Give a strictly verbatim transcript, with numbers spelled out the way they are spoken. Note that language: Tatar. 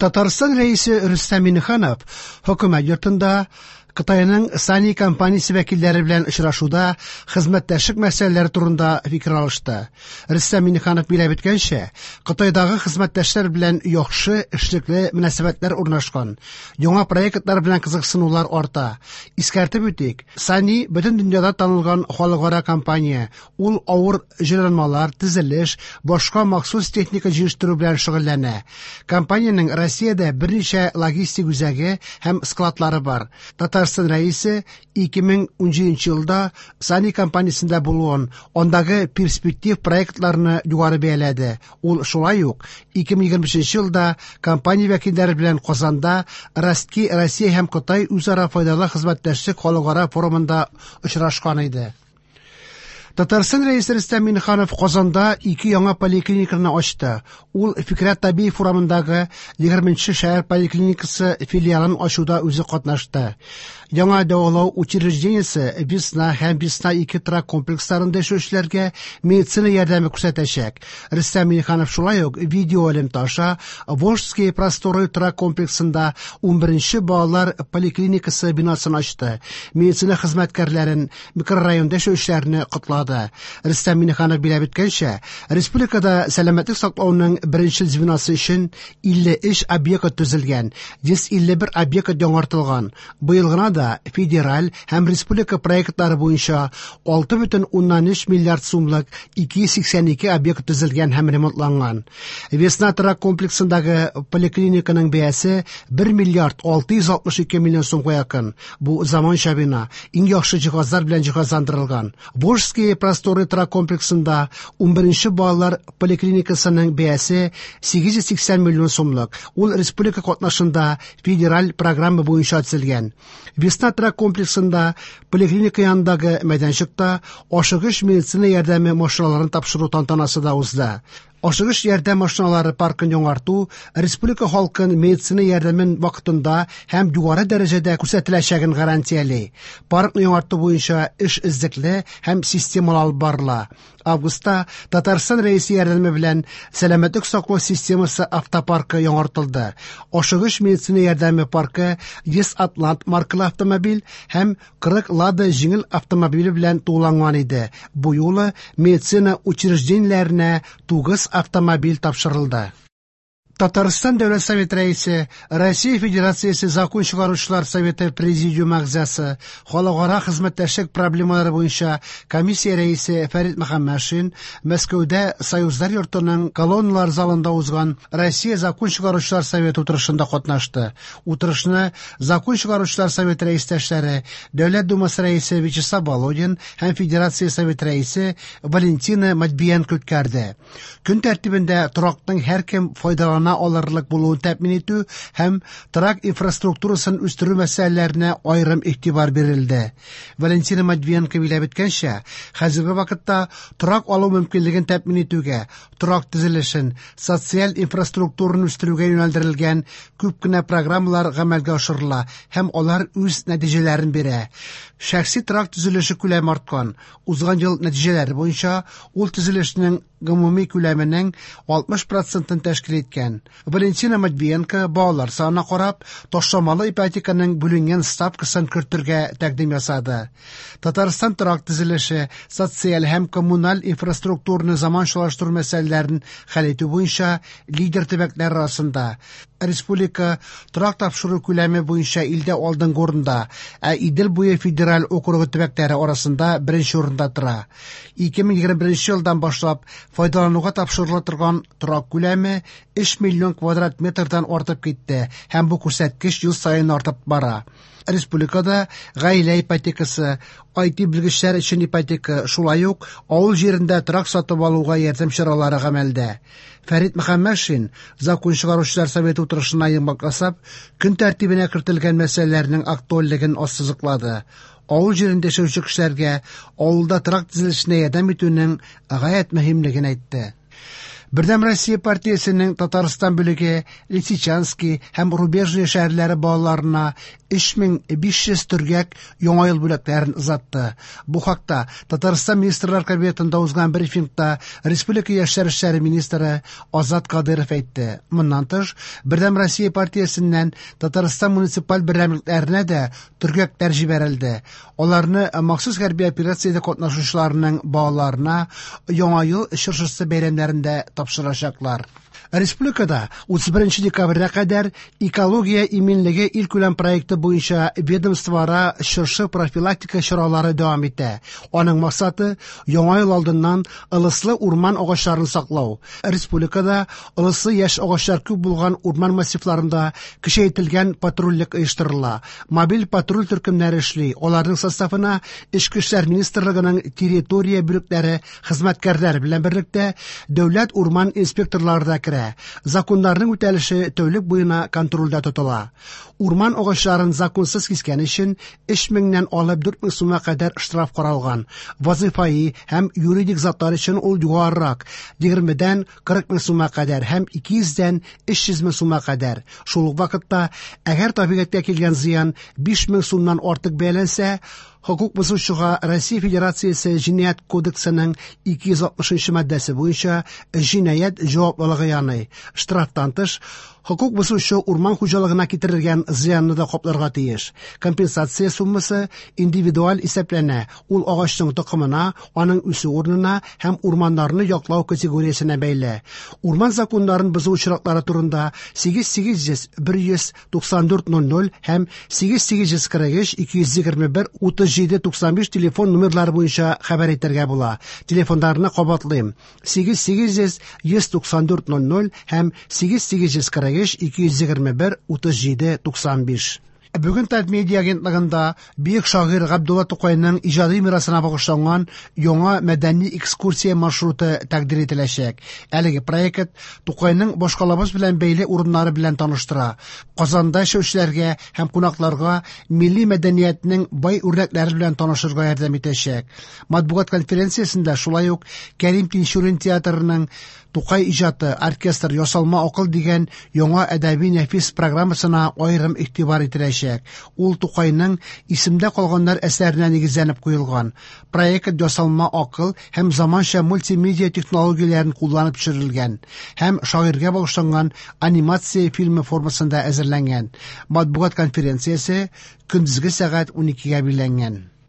Татарстан Рәисе Рөстәм Миңнеханов Хөкүмәт йортында Кытайның Сани компаниясе вәкилләре белән очрашуда хезмәттәшлек мәсьәләләре турында фикер алышты. Рөстәм Миңнеханов билгеләп үткәнчә, Кытайдагы хезмәттәшләр белән яхшы эшлекле мөнәсәбәтләр урнашкан. Яңа проектлар белән кызыксынулар арта. Искәртеп үтик, Сани бөтен дөньяда танылган халыкара компания. Ул авыр җайланмалар, төзелеш, башка махсус техника җитештерү белән шөгыльләнә. Компаниянең Россиядә берничә логистик үзәге һәм складлары бар. Татарстан Рәисе ике мең унҗиденче елда Сани компаниясендә булуын, андагы перспектив проектларны югары бәяләде. Ул шулай ук ике мең егерме өченче елда компания вәкилләре белән Казанда Ростки Россия һәм Кытай үзара файдалы хезмәттәшлек халыкара форумында очрашкан иде. Татарстан Рәисе Рөстәм Миңнеханов Казанда ике яңа поликлиниканы ачты. Ул Фикрәт Табиев урамындагы егерменче шәһәр поликлиникасы филиалын ачуда үзе катнашты. Яңа дәвалау учреждениесе Весна һәм Весна ике торак комплексларында яшәүчеләргә медицина ярдәме күрсәтәчәк. Рөстәм Миңнеханов шулай ук видео элемтә аша Волжские просторы торак комплексында унберенче балалар поликлиникасы бинасын ачты. Медицина хезмәткәрләрен микрорайонда яшәүчеләрне котлады. Рөстәм Миңнеханов билгеләп үткәнчә, республикада сәламәтлек саклауның беренче звеносы өчен илле өч объект төзелгән, йөз илле бер объект яңартылган. Быел гына да федераль һәм республика проектлары буенча алты бөтен уннан өч миллиард сумлык ике йөз сиксән ике объект төзелгән һәм ремонтланган. Весна торак комплексындагы поликлиниканың бәясе бер миллиард алты йөз алтмыш ике миллион сумга якын. Бу заманча бина, иң яхшы җиһазлар белән җиһазландырылган. Волжские просторы торак комплексында унберенче балалар поликлиникасының бәясе сигез йөз сиксән миллион сумлык. Ул республика катнашында федераль программа буенча төзелгән. Весна торак комплексында поликлиника янындагы мәйданчыкта ашыгыч медицина ярдәме машиналарын тапшыру тантанасы да узды. Ашыгыч ярдәм машиналары паркын яңарту республика халкын медицина ярдәмен вакытында һәм югары дәрәҗәдә күрсәтеләчәген гарантияли. Паркны яңарту буенча эш эзлекле һәм системалы алып барыла. Августта Татарстан Рәисе ярдәме белән сәламәтлек саклау системасы автопаркы яңартылды. Ашыгыч медицина ярдәме паркы йөз Атлант маркалы автомобиль һәм кырык Лада җиңел автомобиле белән тулыланган иде. Бу юлы медицина учреждениеләренә тугыз автомобиль тапшырылды. Татарстан Дәүләт Советы Рәисе, Россия Федерациясе Закон чыгаручылар Советы Президиумы әгъзасы, халыкара хезмәттәшлек проблемалары буенча комиссия рәисе Фәрит Мөхәммәтшин Мәскәүдә Союзлар йортының колонналар залында узган Россия Закон чыгаручылар Советы утырышында катнашты. Утырышны Закон чыгаручылар Советы рәистәшләре, Дәүләт Думасы рәисе Вячеслав Володин һәм Федерация Советы рәисе Валентина Матвиенко үткәрде. Көн тәртибендә торакның һәркем файдалана алырлык булуын тәэмин итү һәм торак инфраструктурасын үстерү мәсьәләләренә аерым игътибар бирелде. Валентина Матвиенко билгеләп үткәнчә, хәзерге вакытта торак алу мөмкинлеген тәэмин итүгә, торак төзелешен, социаль инфраструктураны үстерүгә юнәлдерелгән күп кенә программалар гамәлгә ашырыла һәм алар үз нәтиҗәләрен бирә. Шәхси торак төзелеше күләме арткан. Узган ел нәтиҗәләре буенча ул төзелешнең гомуми күләменең алтмыш процентын тәшкил иткән. Валентина Матвиенко балалар санына карап, ташламалы ипотеканың бүленгән ставкасын кертергә тәкъдим ясады. Татарстан торак төзелеше, социаль һәм коммуналь инфраструктураны заманчалаштыру мәсьәләләрен хәл итү буенча лидер төбәкләр арасында. Республика торак тапшыру күләме буенча илдә алдынгы урында, ә Идел буе федераль округы төбәкләре арасында беренче урында тора. Ике мең егерме беренче елдан башлап файдалануга тапшырыла торган торак күләме өч миллион квадрат метрдан артып китте һәм бу күрсәткеч ел саен артып бара. Республикада гаилә ипотекасы, ай ти белгечләр өчен ипотека, шулай ук авыл җирендә торак сатып алуга ярдәм чаралары гамәлдә. Фәрит Мөхәммәтшин Закон чыгаручылар Советы утырышына йомгак ясап, көн тәртибенә кертелгән мәсьәләләрнең актуальлеген ассызыклады. Авыл җирендә яшәүче кешеләргә авылда торак төзелешенә ярдәм итүнең гаять мөһимлеген әйтте. Бердәм Россия партиясенең Татарстан бүлеге Лисичанский һәм Рубежное шәһәрләре балаларына өч мең биш йөз төргәк Яңа ел бүләкләрен озатты. Бу хакта Татарстан Министрлар Кабинетында узган брифингта Республика яшьләр эшләре министры Азат Кадыров әйтте. Моннан тыш, Бердәм Россия партиясеннән Татарстан муниципаль берәмлекләренә дә төргәкләр җибәрелде. Аларны махсус хәрби операциядә катнашучыларның балаларына Яңа ел чыршысы бәйрәмнәрендә тапшырачаклар. Республикада утыз беренче декабрьгә кадәр экология иминлеге илкүләм проекты буенча ведомствоара чыршы профилактика чаралары дәвам итә. Аның максаты Яңа ел алдыннан ылыслы урман агачларын саклау. Республикада ылыслы яшь агачлар күп булган урман массивларында көчәйтелгән патрульлек оештырыла. Мобиль патруль төркемнәре эшли. Аларның составына Эчке эшләр министрлыгының территория бүлекләре хезмәткәрләре белән берлектә дәүләт урман инспекторлары да керә. Законнарның үтәлеше тәүлек буена контрольдә тотыла. Урман агачларын законсыз кискән өчен өч меңнән алып дүрт мең сумга кадәр штраф каралган. Вазифаи һәм юридик затлар өчен ул югарырак, егермедән кырык мең сумга кадәр һәм ике йөздән өч йөз мең сумга кадәр. Шул ук вакытта, әгәр табигатькә килгән зыян биш мең сумнан артык бәяләнсә, хокук бозучыга Россия Федерациясе Җинаять кодексының ике йөз алтмышынчы маддәсе буенча җинаять җаваплылыгы яный. Штрафтан тыш, хокук бозучы урман хуҗалыгына китерелгән зыянны да капларга тиеш. Компенсация суммасы индивидуаль исәпләнә. Ул агачның токымына, аның үсү урынына һәм урманнарны яклау категориясенә бәйле. Урман законнарын бозу очраклары турында сигез сигез йөз бер йөз туксан дүрт ноль ноль һәм сигез сигез йөз кырык өч ике йөз егерме бер утыз җиде туксан биш телефон номерлары буенча хәбәр итәргә була. Телефоннарны кабатлыйм: сигез сигез йөз йөз туксан дүрт ноль ноль һәм сигез сигез йөз кырык өч ике йөз егерме бер утыз җиде туксан биш. Бүген Татмедиа агентлыгында бөек шагыйрь Габдулла Тукайның иҗади мирасына багышланган яңа мәдәни экскурсия маршруты тәкъдир ителәчәк. Әлеге проект Тукайның башкалабыз белән бәйле урыннары белән таныштыра. Казанда яшәүчеләргә һәм кунакларга милли мәдәниятнең бай үрнәкләре белән танышырга ярдәм итәчәк. Матбугат конференциясендә шулай ук Кәрим Тинчурин театрының Тукай иҗаты, оркестр, ясалма акыл дигән яңа әдәби нәфис программасына аерым игътибар ителәчәк. Ул Тукайның Исемдә калганнар әсәренә нигезләнеп куелган. Проект ясалма акыл һәм заманча мультимедиа технологияләрен кулланып төшерелгән һәм шагыйрьгә багышланган анимация фильмы формасында әзерләнгән. Матбугат конференциясе көндезге сәгать уникегә билгеләнгән.